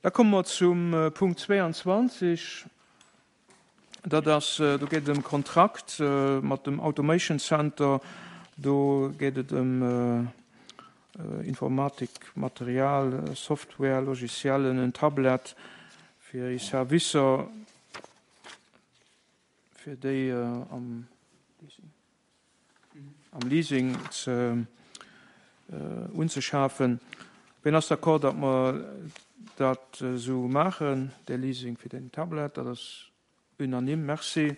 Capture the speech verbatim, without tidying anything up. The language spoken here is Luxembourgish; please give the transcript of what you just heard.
Da komme mer zum Punkt zwéianzwanzeg. Dat ass, do geet et ëm Kontrakt mat dem Automation Center. Do geet et ëm Informatikmaterial, Software, Logiciellen, en Tablet fir eis Servicer, fir déi am am Leasing ze unzeschafen. Wien ass d'accord, datt mer dat esou maachen, dee Leasing fir den Tablet? Dat ass unanime. Merci.